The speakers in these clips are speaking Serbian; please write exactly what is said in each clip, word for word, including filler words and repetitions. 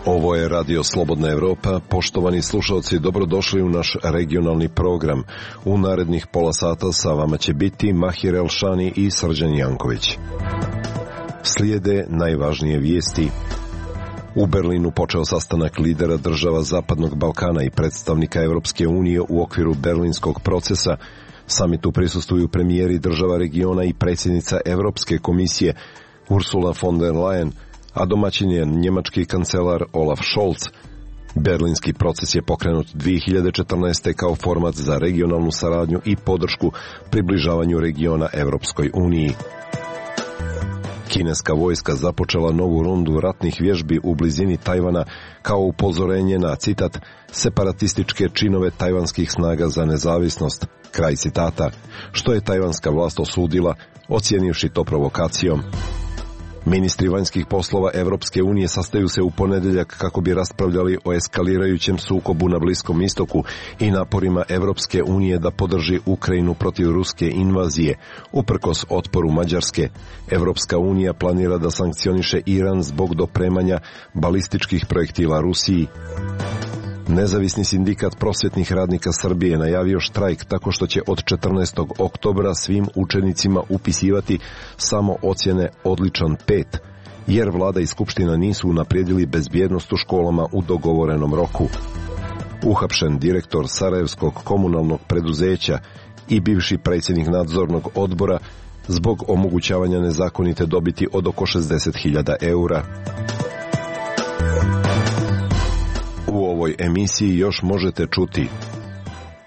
Ovo je Radio Slobodna Evropa. Poštovani slušalci, dobrodošli u naš regionalni program. U narednih pola sata sa vama će biti Mahir Elšani i Srđan Janković. Slijede najvažnije vijesti. U Berlinu počeo sastanak lidera država Zapadnog Balkana i predstavnika Evropske unije u okviru berlinskog procesa. Samitu prisustvuju premijeri država regiona i predsjednica Evropske komisije Ursula von der Leyen, a domaćin je njemački kancelar Olaf Scholz. Berlinski proces je pokrenut dvije hiljade četrnaeste. kao format za regionalnu saradnju i podršku približavanju regiona Evropskoj uniji. Kineska vojska započela novu rundu ratnih vježbi u blizini Tajvana kao upozorenje na, citat, separatističke činove tajvanskih snaga za nezavisnost, kraj citata, što je tajvanska vlast osudila, ocijenivši to provokacijom. Ministri vanjskih poslova Evropske unije sastaju se u ponedjeljak kako bi raspravljali o eskalirajućem sukobu na Bliskom istoku i naporima Evropske unije da podrži Ukrajinu protiv ruske invazije. Uprkos otporu Mađarske, Evropska unija planira da sankcioniše Iran zbog dopremanja balističkih projektila Rusiji. Nezavisni sindikat prosvjetnih radnika Srbije najavio štrajk tako što će od četrnaestog oktobra svim učenicima upisivati samo ocjene odličan pet, jer vlada i skupština nisu unaprijedili bezbjednost u školama u dogovorenom roku. Uhapšen direktor Sarajevskog komunalnog preduzeća i bivši predsjednik nadzornog odbora zbog omogućavanja nezakonite dobiti od oko šezdeset hiljada eura. U ovoj emisiji još možete čuti: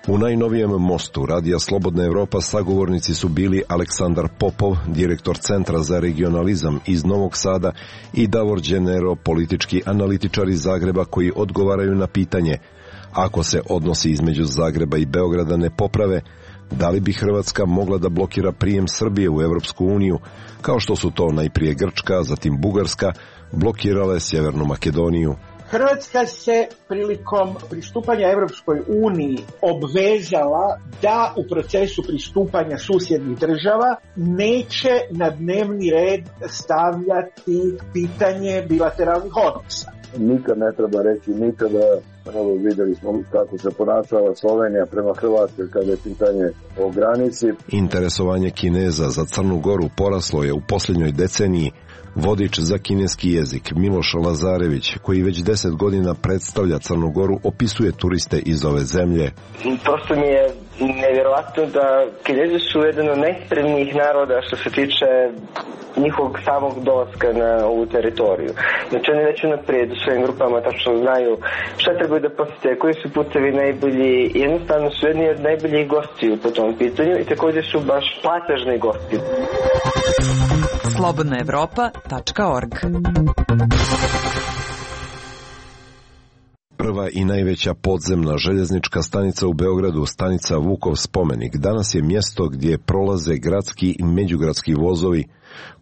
u najnovijem mostu Radija Slobodna Evropa sagovornici su bili Aleksandar Popov, direktor Centra za regionalizam iz Novog Sada, i Davor Đenero, politički analitičar iz Zagreba, koji odgovaraju na pitanje: ako se odnosi između Zagreba i Beograda ne poprave, da li bi Hrvatska mogla da blokira prijem Srbije u Evropsku uniju, kao što su to najprije Grčka, zatim Bugarska, blokirale Sjevernu Makedoniju? Hrvatska se prilikom pristupanja Evropskoj uniji obvezala da u procesu pristupanja susjednih država neće na dnevni red stavljati pitanje bilateralnih odnosa. Nikad ne treba reći nikada. Evo, vidjeli smo kako se ponašala Slovenija prema Hrvatskoj kada je pitanje o granici. Interesovanje Kineza za Crnu Goru poraslo je u posljednjoj deceniji. Vodič za kineski jezik Miloš Lazarević, koji već deset godina predstavlja Crnu Goru, opisuje turiste iz ove zemlje. Prosto mi je nevjerovatno da Kinezi su jedan od najspremnijih naroda što se tiče njihovog samog dolaska na ovu teritoriju. Znači oni već unaprijed u svojim grupama tačno znaju šta trebaju da posjete, koji su putevi najbolji, i jednostavno su jedni od najboljih gostiju po tom pitanju i također su baš platežni gosti. slobodna evropa tačka org. Prva i najveća podzemna željeznička stanica u Beogradu, stanica Vukov spomenik, danas je mjesto gdje prolaze gradski i međugradski vozovi.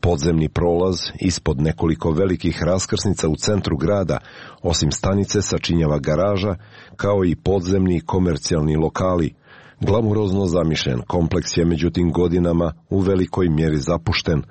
Podzemni prolaz ispod nekoliko velikih raskrsnica u centru grada, osim stanice, sačinjava garaža, kao i podzemni komercijalni lokali. Glamurozno zamišljen kompleks je međutim godinama u velikoj mjeri zapušten.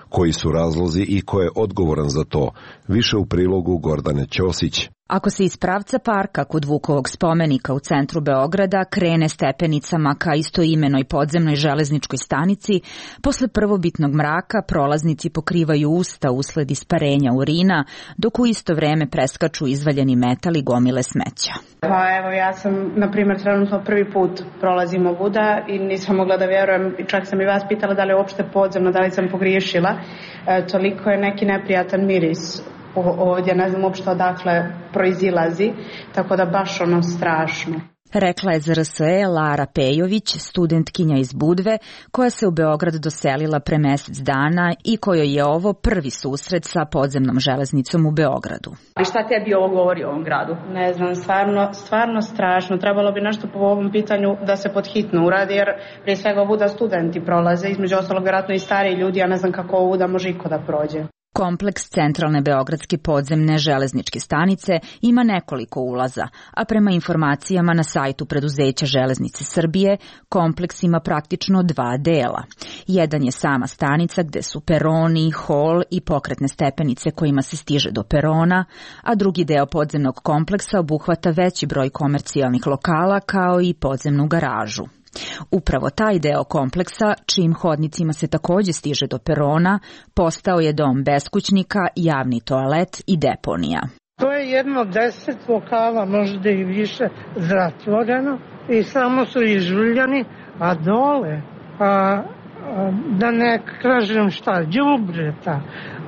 Koji su razlozi i ko je odgovoran za to? Više u prilogu Gordane Ćosić. Ako se iz pravca parka kod Vukovog spomenika u centru Beograda krene stepenicama ka istoimenoj podzemnoj železničkoj stanici, posle prvobitnog mraka prolaznici pokrivaju usta usled isparenja urina, dok u isto vreme preskaču izvaljeni metal i gomile smeća. Pa evo, ja sam, na primjer, trenutno prvi put prolazim ovuda i nisam mogla da vjerujem, čak sam i vas pitala da li je uopšte podzemno, da li sam pogriješila. E, toliko je neki neprijatan miris ovdje, ne znam uopšte odakle proizilazi, tako da baš ono strašno. Rekla je Z R S E Lara Pejović, studentkinja iz Budve, koja se u Beograd doselila pre mjesec dana i kojoj je ovo prvi susret sa podzemnom železnicom u Beogradu. I šta tebi ovo govori o ovom gradu? Ne znam, stvarno, stvarno strašno. Trebalo bi nešto po ovom pitanju da se podhitno uradi, jer prije svega ovuda studenti prolaze, između ostalog vjerojatno i stariji ljudi, ja ne znam kako ovuda može iko da prođe. Kompleks centralne beogradske podzemne železničke stanice ima nekoliko ulaza, a prema informacijama na sajtu preduzeća Železnice Srbije, kompleks ima praktično dva dela. Jedan je sama stanica gde su peroni, hol i pokretne stepenice kojima se stiže do perona, a drugi deo podzemnog kompleksa obuhvata veći broj komercijalnih lokala kao i podzemnu garažu. Upravo taj deo kompleksa, čijim hodnicima se takođe stiže do perona, postao je dom beskućnika, javni toalet i deponija. To je jedno deset lokala, možda i više, zatvoreno i samo su izžuljani, a dole, a, a, da ne kažem šta, đubreta,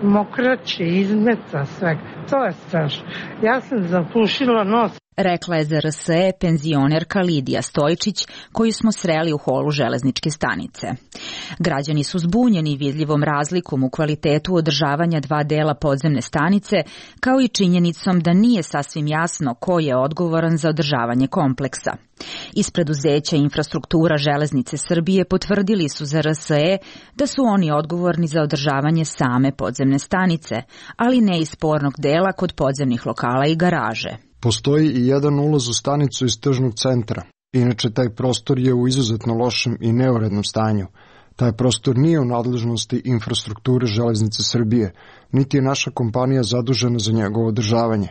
mokraće, izmeta, sve. To je strašno. Ja sam zapušila nos. Rekla je za R S E penzionerka Lidija Stojčić, koju smo sreli u holu železničke stanice. Građani su zbunjeni vidljivom razlikom u kvalitetu održavanja dva dela podzemne stanice, kao i činjenicom da nije sasvim jasno ko je odgovoran za održavanje kompleksa. Iz preduzeća Infrastruktura Železnice Srbije potvrdili su za R S E da su oni odgovorni za održavanje same podzemne stanice, ali ne i spornog dela kod podzemnih lokala i garaže. Postoji i jedan ulaz u stanicu iz tržnog centra. Inače, taj prostor je u izuzetno lošem i neurednom stanju. Taj prostor nije u nadležnosti Infrastrukture Železnice Srbije, niti je naša kompanija zadužena za njegovo održavanje.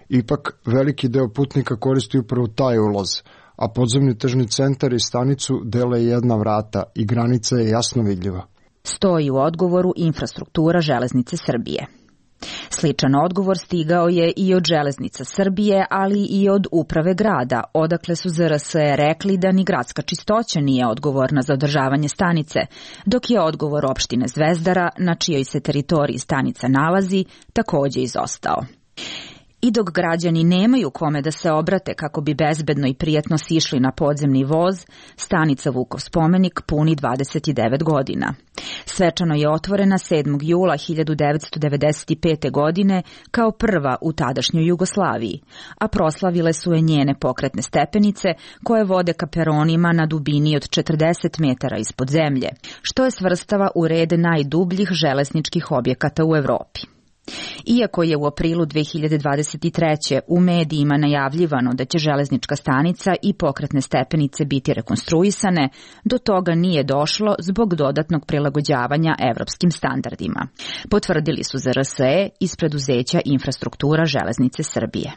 Ipak, veliki deo putnika koristi upravo taj ulaz, a podzemni tržni centar i stanicu dele jedna vrata i granica je jasno vidljiva. Stoji u odgovoru Infrastruktura Železnice Srbije. Sličan odgovor stigao je i od Železnica Srbije, ali i od uprave grada, odakle su za R S E rekli da ni gradska čistoća nije odgovorna za održavanje stanice, dok je odgovor opštine Zvezdara, na čijoj se teritoriji stanica nalazi, takođe izostao. I dok građani nemaju kome da se obrate kako bi bezbedno i prijatno sišli na podzemni voz, stanica Vukov spomenik puni dvadeset devet godina. Svečano je otvorena sedmog jula hiljadu devetsto devedeset pete. godine kao prva u tadašnjoj Jugoslaviji, a proslavile su je njene pokretne stepenice koje vode ka peronima na dubini od četrdeset metara ispod zemlje, što je svrstava u red najdubljih železničkih objekata u Evropi. Iako je u aprilu dve hiljade dvadeset treće. u medijima najavljivano da će železnička stanica i pokretne stepenice biti rekonstruisane, do toga nije došlo zbog dodatnog prilagođavanja evropskim standardima. Potvrdili su za R S E iz preduzeća Infrastruktura Železnice Srbije.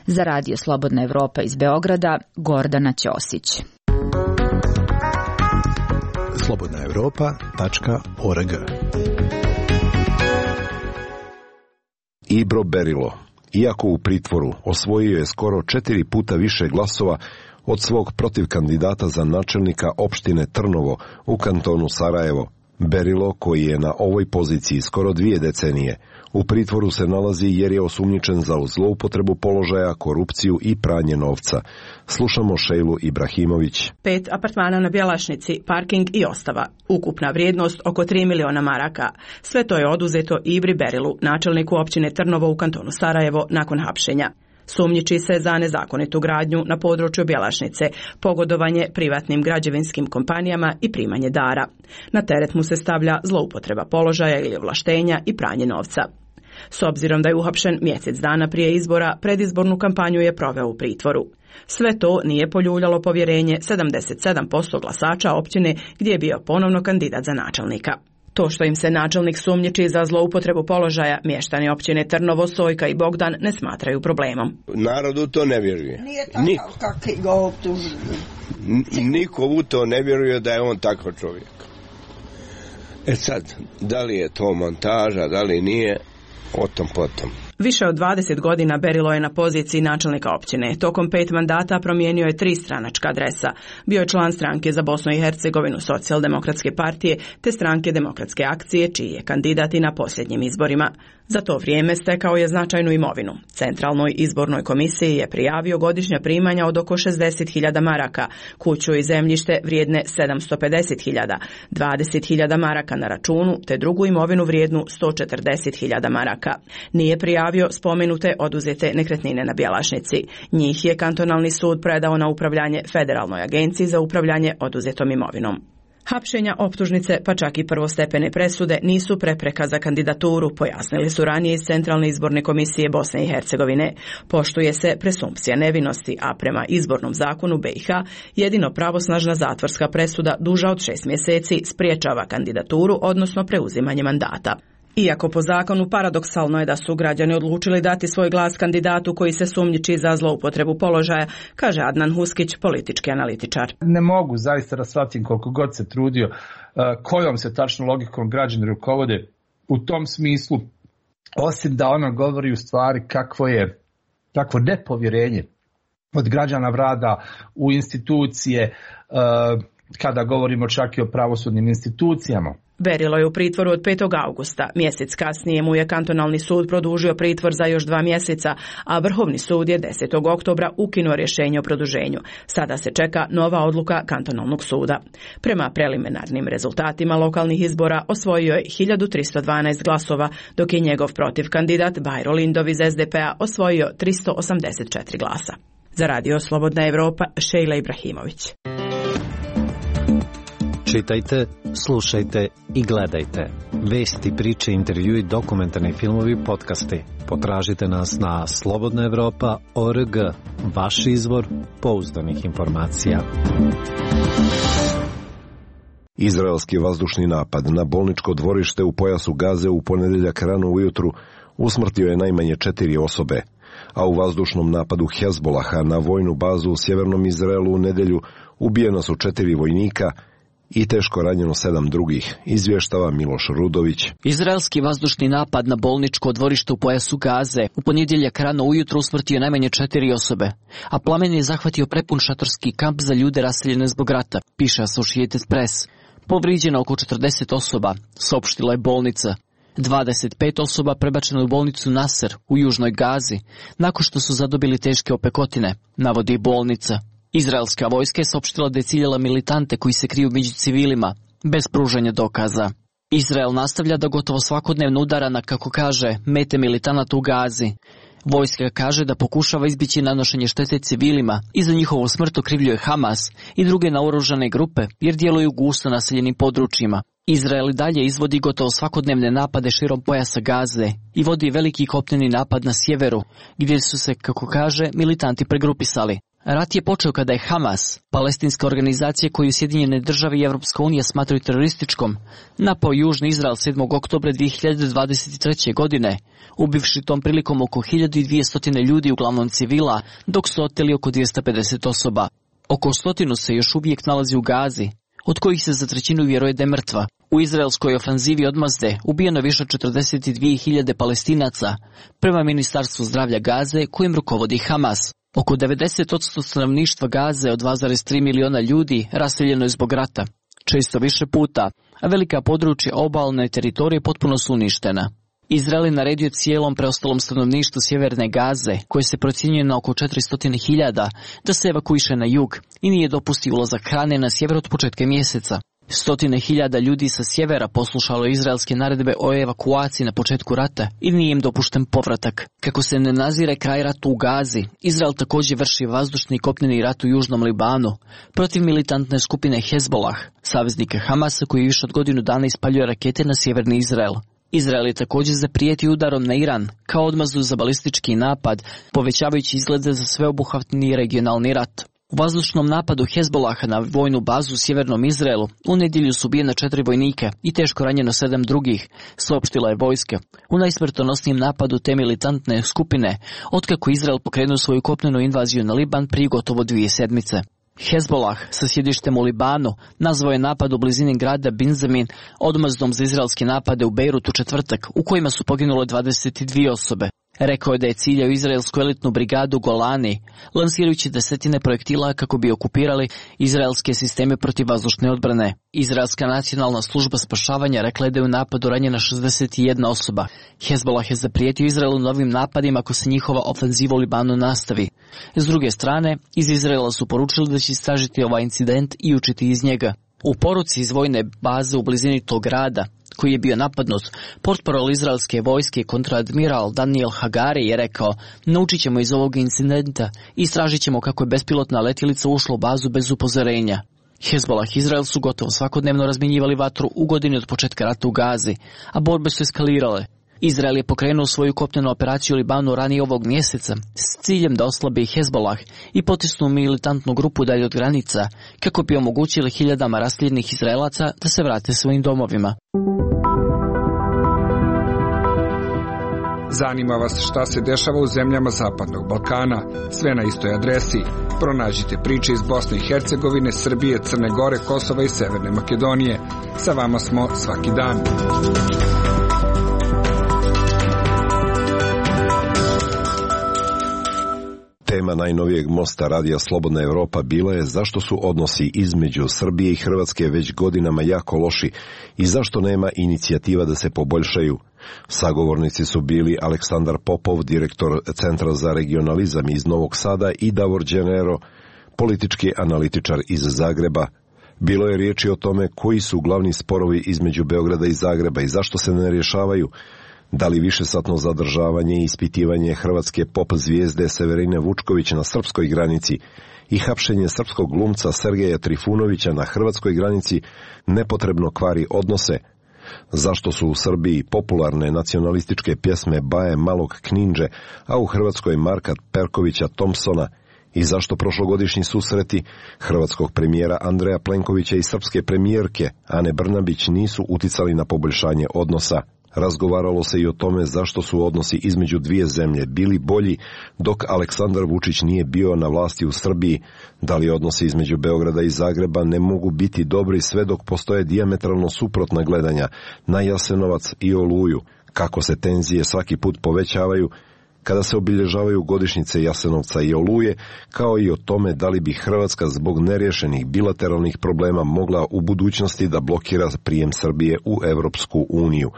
Za Radio Slobodna Evropa iz Beograda, Gordana Ćosić. slobodna evropa tačka org. Ibro Berilo, iako u pritvoru, osvojio je skoro četiri puta više glasova od svog protivkandidata za načelnika opštine Trnovo u kantonu Sarajevo. Berilo, koji je na ovoj poziciji skoro dvije decenije, u pritvoru se nalazi jer je osumnjičen za zloupotrebu položaja, korupciju i pranje novca. Slušamo Šejlu Ibrahimović. Pet apartmana na Bjelašnici, parking i ostava. Ukupna vrijednost oko tri miliona maraka. Sve to je oduzeto Ibri Berilu, načelniku općine Trnovo u kantonu Sarajevo, nakon hapšenja. Sumnjiči se za nezakonitu gradnju na području Bjelašnice, pogodovanje privatnim građevinskim kompanijama i primanje dara. Na teret mu se stavlja zloupotreba položaja ili ovlaštenja i pranje novca. S obzirom da je uhapšen mjesec dana prije izbora, predizbornu kampanju je proveo u pritvoru. Sve to nije poljuljalo povjerenje sedamdeset sedam posto glasača općine gdje je bio ponovno kandidat za načelnika. To što im se načelnik sumnjiči za zloupotrebu položaja, mještani općine Trnovo, Sojka i Bogdan ne smatraju problemom. Narodu to ne vjeruje. Nije takav kakvi ga optužuju. Niko u to ne vjeruje da je on takav čovjek. E sad, da li je to montaža, da li nije, o tom potom. Više od dvadeset godina Berilo je na poziciji načelnika općine. Tokom pet mandata promijenio je tri stranačka adresa. Bio je član stranke za Bosnu i Hercegovinu Socijaldemokratske partije te stranke Demokratske akcije, čiji je kandidat i na posljednjim izborima. Za to vrijeme stekao je značajnu imovinu. Centralnoj izbornoj komisiji je prijavio godišnja primanja od oko šezdeset hiljada maraka, kuću i zemljište vrijedne sedamsto pedeset hiljada, dvadeset hiljada maraka na računu te drugu imovinu vrijednu sto četrdeset hiljada maraka. Nije prijavio spomenute oduzete nekretnine na Bjelašnici. Njih je kantonalni sud predao na upravljanje Federalnoj agenciji za upravljanje oduzetom imovinom. Hapšenja, optužnice, pa čak i prvostepene presude nisu prepreka za kandidaturu, pojasnili su ranije iz Centralne izborne komisije Bosne i Hercegovine. Poštuje se presumpcija nevinosti, a prema izbornom zakonu B i H jedino pravosnažna zatvorska presuda duža od šest mjeseci spriječava kandidaturu, odnosno preuzimanje mandata. Iako po zakonu paradoksalno je da su građani odlučili dati svoj glas kandidatu koji se sumnjiči za zloupotrebu položaja, kaže Adnan Huskić, politički analitičar. Ne mogu zaista da shvatim koliko god se trudio kojom se tačno logikom građani rukovode u tom smislu, osim da ona govori u stvari kakvo je takvo nepovjerenje od građana vlada u institucije, kada govorimo čak i o pravosudnim institucijama. Berilo je u pritvoru od petog augusta. Mjesec kasnije mu je kantonalni sud produžio pritvor za još dva mjeseca, a Vrhovni sud je desetog oktobra ukinuo rješenje o produženju. Sada se čeka nova odluka kantonalnog suda. Prema preliminarnim rezultatima lokalnih izbora osvojio je hiljadu tristo dvanaest glasova, dok je njegov protiv kandidat Bajro Lindov iz S D P-a osvojio tristo osamdeset četiri glasa. Za Radio Slobodna Evropa, Šejla Ibrahimović. Čitajte, slušajte i gledajte. Vesti, priče, intervjui, dokumentarni filmovi, podcasti. Potražite nas na slobodna evropa tačka org, vaš izvor pouzdanih informacija. Izraelski vazdušni napad na bolničko dvorište u pojasu Gaze u ponedjeljak rano ujutru usmrtio je najmanje četiri osobe, a u vazdušnom napadu Hezbolaha na vojnu bazu u sjevernom Izraelu u nedjelju ubijeno su četiri vojnika i teško ranjeno sedam drugih, izvještava Miloš Rudović. Izraelski vazdušni napad na bolničko dvorište u pojasu Gaze u ponedjeljak rano ujutro usmrtio najmanje četiri osobe, a plamen je zahvatio prepun šatorski kamp za ljude raseljene zbog rata, piše Associated Press. Povrijeđeno oko četrdeset osoba, saopštila je bolnica. dvadeset pet osoba prebačeno u bolnicu Nasser u južnoj Gazi, nakon što su zadobili teške opekotine, navodi bolnica. Izraelska vojska je saopštila da je ciljala militante koji se kriju među civilima, bez pružanja dokaza. Izrael nastavlja da gotovo svakodnevno udara na, kako kaže, mete militanata u Gazi. Vojska kaže da pokušava izbjeći nanošenje štete civilima i za njihovu smrt okrivljuje Hamas i druge naoružane grupe jer djeluju u gusto naseljenim područjima. Izrael i dalje izvodi gotovo svakodnevne napade širom pojasa Gaze i vodi veliki kopneni napad na sjeveru, gdje su se, kako kaže, militanti pregrupisali. Rat je počeo kada je Hamas, palestinska organizacija koju Sjedinjene države i Evropska unija smatraju terorističkom, napao južni Izrael sedmog oktobra dvije hiljade dvadeset treće. godine, ubivši tom prilikom oko hiljadu dvjesto ljudi, uglavnom civila, dok su oteli oko dvjesto pedeset osoba. Oko stotinu se još uvijek nalazi u Gazi, od kojih se za trećinu vjeruje da je mrtva. U izraelskoj ofanzivi odmazde ubijeno više od četrdeset dvije hiljade Palestinaca, prema Ministarstvu zdravlja Gaze kojim rukovodi Hamas. Oko devedeset posto stanovništva Gaze od dva zarez tri miliona ljudi raseljeno je zbog rata, često više puta, a velika područja obalne teritorije potpuno su uništena. Izrael je naredio cijelom preostalom stanovništvu sjeverne Gaze, koje se procjenjuje na oko četiristo hiljada, da se evakuiše na jug i nije dopusti ulazak hrane na sjever od početka mjeseca. Stotine hiljada ljudi sa sjevera poslušalo izraelske naredbe o evakuaciji na početku rata i nije im dopušten povratak. Kako se ne nazire kraj ratu u Gazi, Izrael također vrši vazdušni i kopneni rat u južnom Libanu protiv militantne skupine Hezbolah, saveznika Hamasa koji više od godinu dana ispaljuje rakete na sjeverni Izrael. Izrael je također zaprijetio udarom na Iran kao odmazu za balistički napad, povećavajući izglede za sveobuhvatni regionalni rat. U vazdušnom napadu Hezbolaha na vojnu bazu u sjevernom Izraelu u nedjelju su ubijena četiri vojnika i teško ranjeno sedam drugih, saopštila je vojska. U najsmrtonosnijem napadu te militantne skupine, otkako Izrael pokrenuo svoju kopnenu invaziju na Liban prije gotovo dvije sedmice. Hezbolah sa sjedištem u Libanu nazvao je napad u blizini grada Binzamin odmazdom za izraelske napade u Bejrut u četvrtak, u kojima su poginule dvadeset dvije osobe. Rekao je da je ciljao izraelsku elitnu brigadu Golani, lansirajući desetine projektila kako bi okupirali izraelske sisteme protivvazdušne odbrane. Izraelska nacionalna služba spašavanja rekla je da je u napadu ranjena šezdeset jedna osoba. Hezbolah je zaprijetio Izraelu novim napadima ako se njihova ofenziva u Libanu nastavi. S druge strane, iz Izraela su poručili da će istražiti ovaj incident i učiti iz njega. U poruci iz vojne baze u blizini tog grada, koji je bio napadnut, portparol izraelske vojske kontradmiral Daniel Hagari je rekao: naučit ćemo iz ovog incidenta i istražit ćemo kako je bespilotna letjelica ušla u bazu bez upozorenja. Hezbolah i Izrael su gotovo svakodnevno razmjenjivali vatru u godini od početka rata u Gazi, a borbe su eskalirale. Izrael je pokrenuo svoju kopnenu operaciju u Libanu ranije ovog mjeseca s ciljem da oslabi Hezbolah i potisnu militantnu grupu dalje od granica, kako bi omogućili hiljadama raseljenih Izraelaca da se vrate svojim domovima. Zanima vas šta se dešava u zemljama Zapadnog Balkana? Sve na istoj adresi. Pronađite priče iz Bosne i Hercegovine, Srbije, Crne Gore, Kosova i Severne Makedonije. Sa vama smo svaki dan. Tema najnovijeg mosta Radija Slobodna Evropa bila je zašto su odnosi između Srbije i Hrvatske već godinama jako loši i zašto nema inicijativa da se poboljšaju. Sagovornici su bili Aleksandar Popov, direktor Centra za regionalizam iz Novog Sada, i Davor Đenero, politički analitičar iz Zagreba. Bilo je riječi o tome koji su glavni sporovi između Beograda i Zagreba i zašto se ne rješavaju. Da li višesatno zadržavanje i ispitivanje hrvatske pop zvijezde Severine Vučković na srpskoj granici i hapšenje srpskog glumca Sergeja Trifunovića na hrvatskoj granici nepotrebno kvari odnose? Zašto su u Srbiji popularne nacionalističke pjesme Baje Malog Knindže, a u Hrvatskoj Marka Perkovića Thompsona? I zašto prošlogodišnji susreti hrvatskog premijera Andreja Plenkovića i srpske premijerke Ane Brnabić nisu uticali na poboljšanje odnosa? Razgovaralo se i o tome zašto su odnosi između dvije zemlje bili bolji dok Aleksandar Vučić nije bio na vlasti u Srbiji. Da li odnosi između Beograda i Zagreba ne mogu biti dobri sve dok postoje dijametralno suprotna gledanja na Jasenovac i Oluju, kako se tenzije svaki put povećavaju kada se obilježavaju godišnjice Jasenovca i Oluje, kao i o tome da li bi Hrvatska zbog neriješenih bilateralnih problema mogla u budućnosti da blokira prijem Srbije u Evropsku uniju.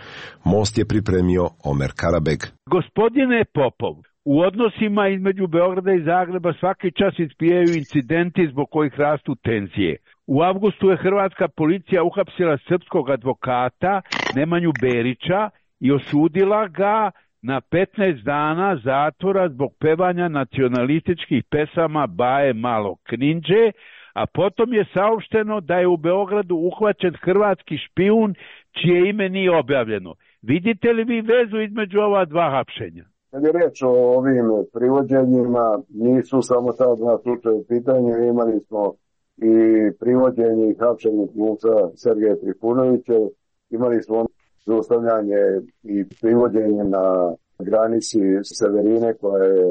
Most je pripremio Omer Karabeg. Gospodine Popov, u odnosima između Beograda i Zagreba svaki čas ispijaju incidenti zbog kojih rastu tenzije. U avgustu je hrvatska policija uhapsila srpskog advokata Nemanju Berića i osudila ga na petnaest dana zatvora zbog pevanja nacionalističkih pesama Baje Malog Knindže, a potom je saopšteno da je u Beogradu uhvaćen hrvatski špijun čije ime nije objavljeno. Vidite li vi vezu između ova dva hapšenja? Kad je reč o ovim privođenjima, nisu samo ta dva slučaja u pitanju, imali smo i privođenje i hapšenje glumca Sergeja Trifunovića, imali smo zaustavljanje i privođenje na granici Severine koja je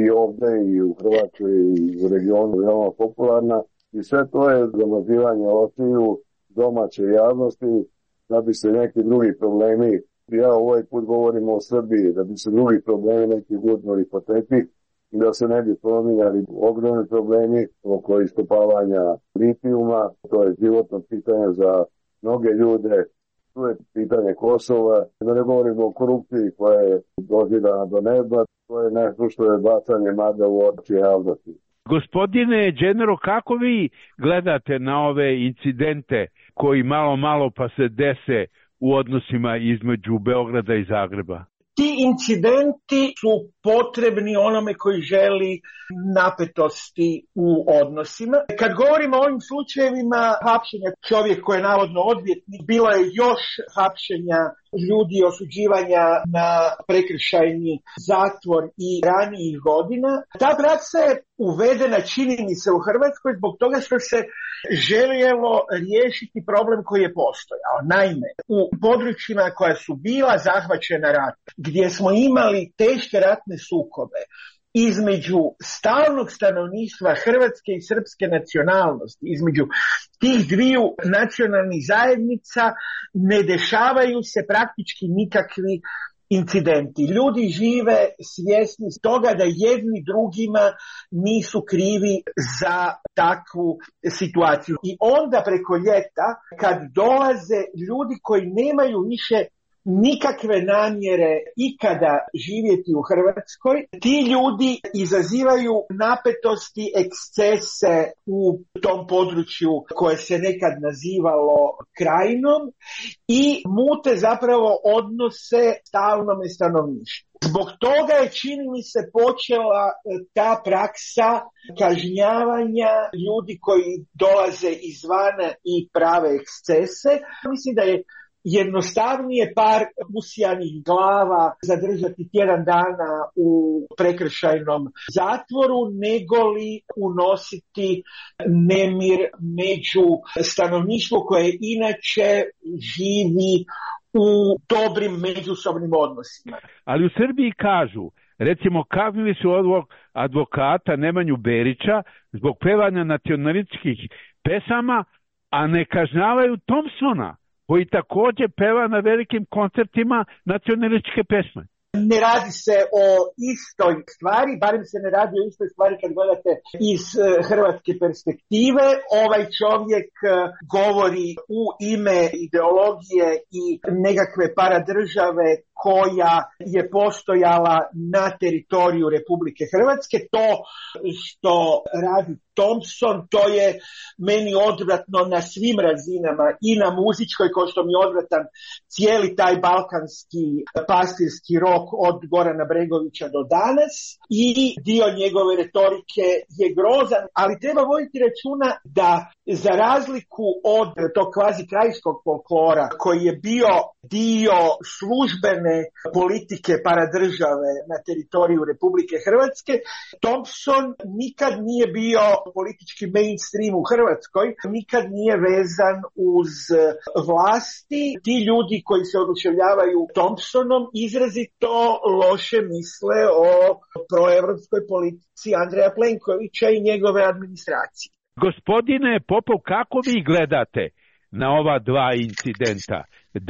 i ovde i u Hrvatskoj i u regionu veoma popularna, i sve to je zamazivanje očiju domaće javnosti da bi se neki drugi problemi, ja ovaj put govorim o Srbiji, da bi se drugi problemi neki gurnuli po tepih i da se ne bi spominjali ogromni problemi oko iskopavanja litijuma. To je životno pitanje za mnoge ljude. Tu je pitanje Kosova, da ne govorimo o korupciji koja je dozidana do neba, to je nešto što je bacanje mada u oči javnosti. Gospodine Đenero, kako vi gledate na ove incidente koji malo malo pa se dese u odnosima između Beograda i Zagreba? Ti incidenti su potrebni onome koji želi napetosti u odnosima. Kad govorimo o ovim slučajevima hapšenja čovjek koji je navodno odvjetnik, bilo je još hapšenja ljudi, osuđivanja na prekršajni zatvor i ranijih godina. Ta praksa je uvedena, čini mi se, u Hrvatskoj zbog toga što se željelo riješiti problem koji je postojao. Naime, u područjima koja su bila zahvaćena ratom, gdje smo imali teške ratne sukobe između stalnog stanovništva hrvatske i srpske nacionalnosti, između tih dviju nacionalnih zajednica, ne dešavaju se praktički nikakvi incidenti. Ljudi žive svjesni toga da jedni drugima nisu krivi za takvu situaciju. I onda preko ljeta, kad dolaze ljudi koji nemaju više nikakve namjere ikada živjeti u Hrvatskoj. Ti ljudi izazivaju napetosti, ekscese u tom području koje se nekad nazivalo Krajinom i mute zapravo odnose stalnome stanovništvu. Zbog toga je, čini mi se, počela ta praksa kažnjavanja ljudi koji dolaze izvana i prave ekscese. Mislim da je jednostavnije par usijanih glava zadržati tjedan dana u prekršajnom zatvoru, nego li unositi nemir među stanovništvo koje inače živi u dobrim međusobnim odnosima. Ali u Srbiji kažu, recimo, kaznili su ovog advokata Nemanju Berića zbog pevanja nacionalističkih pesama, a ne kažnjavaju Thompsona, koji također peva na velikim koncertima nacionalističke pesme. Ne radi se o istoj stvari, barem se ne radi o istoj stvari kad gledate iz hrvatske perspektive. Ovaj čovjek govori u ime ideologije i nekakve paradržave koja je postojala na teritoriju Republike Hrvatske. To što radi Thompson, to je meni odvratno na svim razinama, i na muzičkoj, kao što mi je odvratan cijeli taj balkanski pastirski rok od Gorana Bregovića do danas, i dio njegove retorike je grozan, ali treba voditi računa da za razliku od tog kvazi krajskog folklora koji je bio dio službene politike paradržave na teritoriju Republike Hrvatske, Thompson nikad nije bio politički mainstream u Hrvatskoj, nikad nije vezan uz vlasti. Ti ljudi koji se oduševljavaju Thompsonom izrazito loše misle o proevropskoj politici Andreja Plenkovića i njegove administracije. Gospodine Popov, kako vi gledate na ova dva incidenta?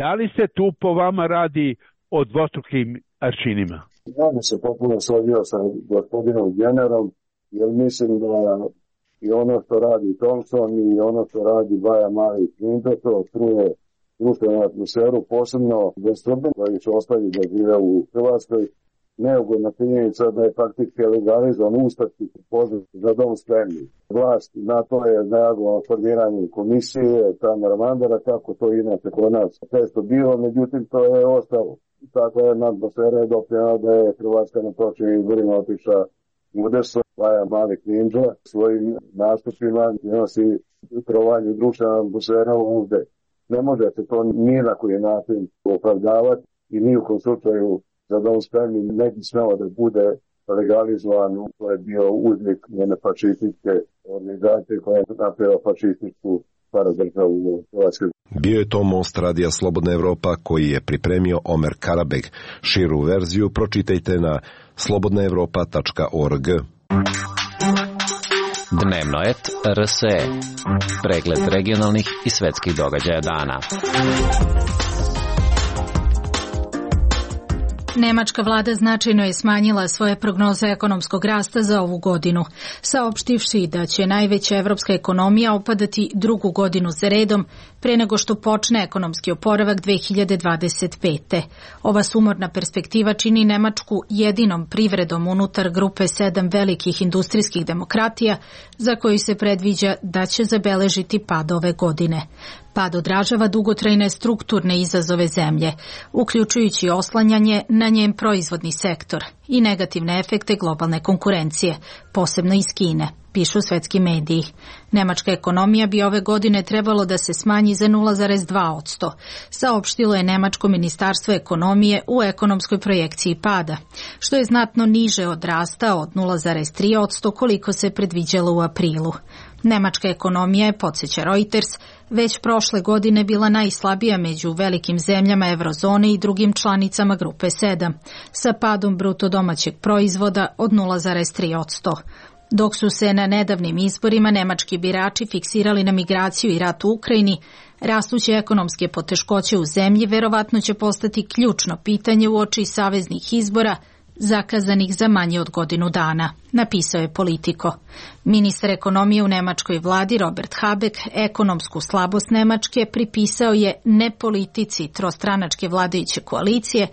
Da li se tu po vama radi o dvostrukim aršinima? Ja bi se potpuno složio sa gospodinom Generom, jer mislim da i ono što radi Thompson i ono što radi Baja Mali Klinto, to truje društvenu atmosferu, posebno za Srbe koji su ostali da žive u Hrvatskoj. Neugodna činjenica da je faktički legalizovan ustaški poziv za dom spremni. Vlast na to je reagovala formiranjem komisije Tamara Mandara, kako to inače kod nas često bilo, međutim to je ostalo. Tako je atmosfera je doprinjela da je Hrvatska na prošlim izborima otišla u desno. Baja Mali Klinđa svojim nastupima nosi trovanje društvena atmosfera ovde. Ne može se to ni na koji način opravdavati i ni u kom slučaju za dom spremni ne bi smelo da bude legalizovan. To je bio uznik njene fašističke organizacije koja je napravila fašističku paradržavu u Hrvatskoj. Bio je to Most Radija Slobodna Evropa koji je pripremio Omer Karabeg. Širu verziju pročitajte na slobodna evropa tačka org. Dnevnoet R S E. Pregled regionalnih i svetskih događaja dana. Nemačka vlada značajno je smanjila svoje prognoze ekonomskog rasta za ovu godinu, saopštivši da će najveća evropska ekonomija opadati drugu godinu za redom pre nego što počne ekonomski oporavak dve hiljade dvadeset pete. Ova sumorna perspektiva čini Nemačku jedinom privredom unutar grupe sedam velikih industrijskih demokratija za koju se predviđa da će zabeležiti pad ove godine. Pad odražava dugotrajne strukturne izazove zemlje, uključujući oslanjanje na njen proizvodni sektor i negativne efekte globalne konkurencije, posebno iz Kine, pišu svetski mediji. Nemačka ekonomija bi ove godine trebalo da se smanji za nula zarez dva posto, saopštilo je Nemačko ministarstvo ekonomije u ekonomskoj projekciji pada, što je znatno niže od rasta od nula zarez tri posto koliko se predviđalo u aprilu. Nemačka ekonomija je, podsjeća Reuters, već prošle godine bila najslabija među velikim zemljama eurozone i drugim članicama grupe sedam, sa padom bruto domaćeg proizvoda od nula zarez tri posto. Dok su se na nedavnim izborima nemački birači fiksirali na migraciju i rat u Ukrajini, rastuće ekonomske poteškoće u zemlji verovatno će postati ključno pitanje uoči saveznih izbora zakazanih za manje od godinu dana, napisao je Politico. Ministar ekonomije u nemačkoj vladi Robert Habeck ekonomsku slabost Nemačke pripisao je ne politici trostranačke vladajuće koalicije,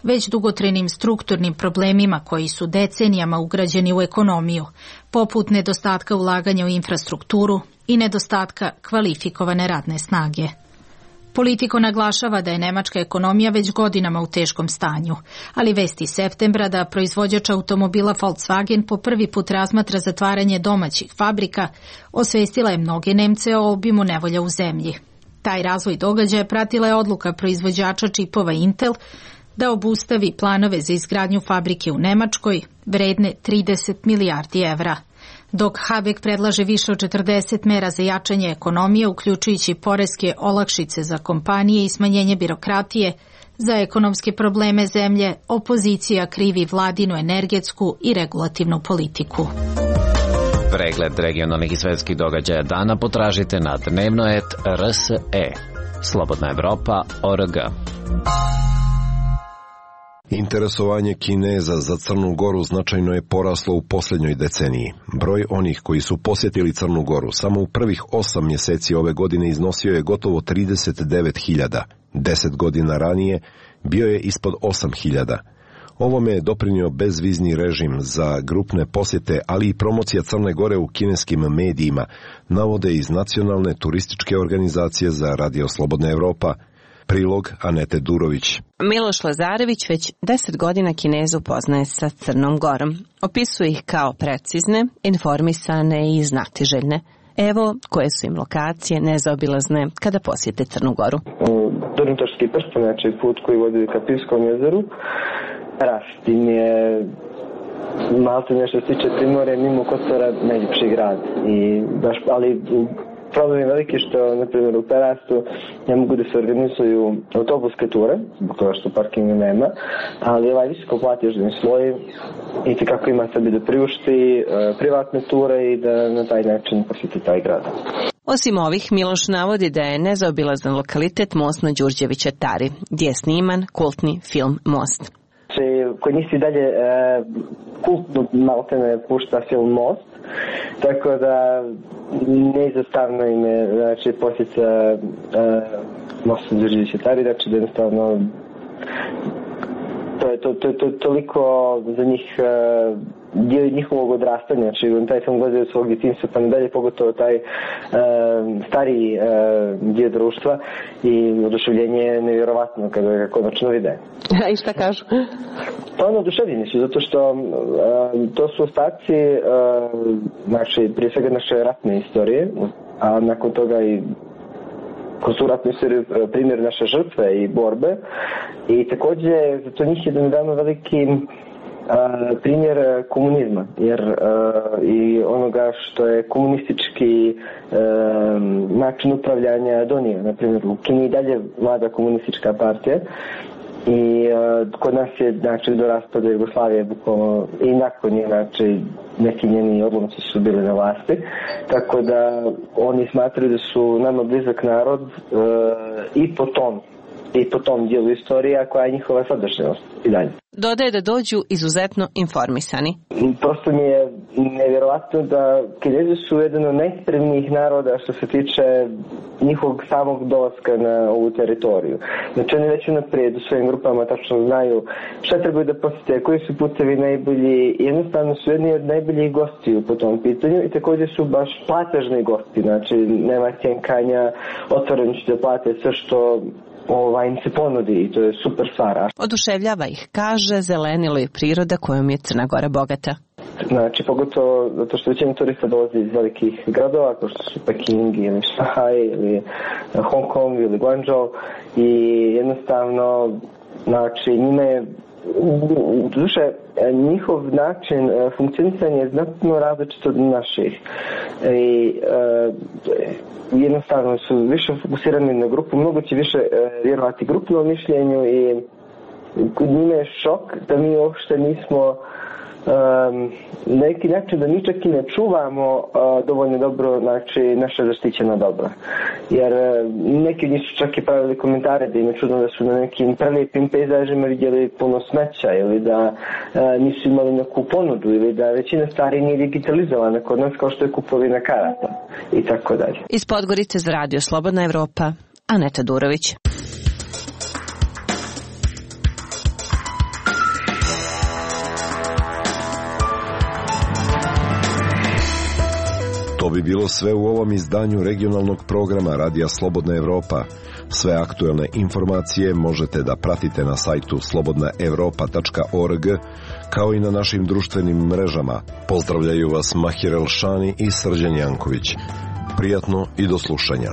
već dugotrajnim strukturnim problemima koji su decenijama ugrađeni u ekonomiju, poput nedostatka ulaganja u infrastrukturu i nedostatka kvalifikovane radne snage. Politico naglašava da je nemačka ekonomija već godinama u teškom stanju, ali vesti septembra da proizvođač automobila Volkswagen po prvi put razmatra zatvaranje domaćih fabrika osvestila je mnoge Nemce o obimu nevolja u zemlji. Taj razvoj događaja pratila je odluka proizvođača čipova Intel da obustavi planove za izgradnju fabrike u Nemačkoj vredne trideset milijardi evra. Dok Habeck predlaže više od četrdeset mera za jačanje ekonomije, uključujući poreske olakšice za kompanije i smanjenje birokratije, za ekonomske probleme zemlje opozicija krivi vladinu energetsku i regulativnu politiku. Pregled regionalnih i svetskih događaja dana potražite na dnevnoet R S E. Slobodna Evropa O R G. Interesovanje Kineza za Crnu Goru značajno je poraslo u posljednjoj deceniji. Broj onih koji su posjetili Crnu Goru samo u prvih osam mjeseci ove godine iznosio je gotovo trideset devet hiljada. Deset godina ranije bio je ispod osam hiljada. Ovome je doprinio bezvizni režim za grupne posjete, ali i promocija Crne Gore u kineskim medijima, navode iz Nacionalne turističke organizacije za Radio Slobodna Evropa. Prilog Anete Durović. Miloš Lazarević već deset godina Kinezu poznaje sa Crnom Gorom. Opisuje ih kao precizne, informisane i znatiželjne. Evo koje su im lokacije nezaobilazne kada posjete Crnu Goru. Dornitorski prsten, znači put koji vodi ka Pivskom jezeru. Rastin je malo nešto se tiče Primorja, mimo Kotora, najljepši grad. I baš, ali problem je veliki što, na primjer, u Perastu ne mogu da se organizuju autobuske ture, zbog toga što parkinga nema, ali ovaj visoko platežni sloj i kako ima sebi da priušti privatne ture i da na taj način posjeti taj grad. Osim ovih, Miloš navodi da je nezaobilazan lokalitet most na Đurđevića Tari, gdje je sniman kultni film Most. Kod njih se dalje e, kultno maltene pušta film Most, tako da neizostavno im je znači, posjeća e, mosta Đurđevića Tari, znači da jednostavno to je to, to, to, toliko za njih e, dio njihovog odrastanja, znači taj film gledaju svog djetinjstva pa nadalje, pogotovo taj e, stariji e, dio društva i oduševljenje je nevjerovatno kada ga konačno vide. I šta kažu? Pa ono oduševljeni su, zato što e, to su ostaci e, znači, prije svega naše ratne istorije, a nakon toga i kroz tu ratnu istoriju primjer naše žrtve i borbe i također za to njih je nedavno veliki Uh, primjer komunizma, jer uh, i onoga što je komunistički uh, način upravljanja donio. Na primjer, u Kini i dalje vlada komunistička partija i uh, kod nas je znači, do raspada Jugoslavije bukvalno i nakon je znači, neki njeni odlomci su bili na vlasti, tako da oni smatraju da su nama blizak narod uh, i po tom i po tom dijelu istorija koja je njihova sadašnjost i dalje. Dodaje da dođu izuzetno informisani. Prosto mi je nevjerovatno da Kinezi su jedan od najspremnijih naroda što se tiče njihovog samog dolaska na ovu teritoriju. Znači oni već unaprijed u svojim grupama tačno znaju šta trebaju da posjete, koji su putevi najbolji, jednostavno su jedni od najboljih gostiju po tom pitanju i također su baš platežni gosti, znači nema cjenkanja, otvoreno će da plate sve što ovaj im se ponudi i to je super stvar. Oduševljava ih, kaže, zelenilo je priroda kojom je Crna Gora bogata. Znači, pogotovo zato što većina turista dolazi iz velikih gradova, kao što su Peking ili Šanghaj ili Hong Kong ili Guangzhou i jednostavno, znači, njima je u duše njihov način funkcionisanja je znatno različit od naših i uh, jednostavno su više fokusirani na grupu, mnogo će više uh, vjerovati grupnom mišljenju i kod njima je šok da mi uopšte nismo um, na neki način da mi čak i ne čuvamo uh, dovoljno dobro, znači, naša zaštićena dobra. Jer uh, neki od njih su čak i pravili komentare da im je čudno da su na nekim prelijepim pejzažima vidjeli puno smeća ili da uh, nisu imali neku ponudu ili da većina stvari nije digitalizovana kod nas kao što je kupovina karata i tako dalje. Iz Podgorice za Radio Slobodna Evropa, Aneta Durović. To bi bilo sve u ovom izdanju regionalnog programa Radija Slobodna Evropa. Sve aktuelne informacije možete da pratite na sajtu slobodna evropa tačka org, kao i na našim društvenim mrežama. Pozdravljaju vas Mahir Elšani i Srđan Janković. Prijatno i do slušanja.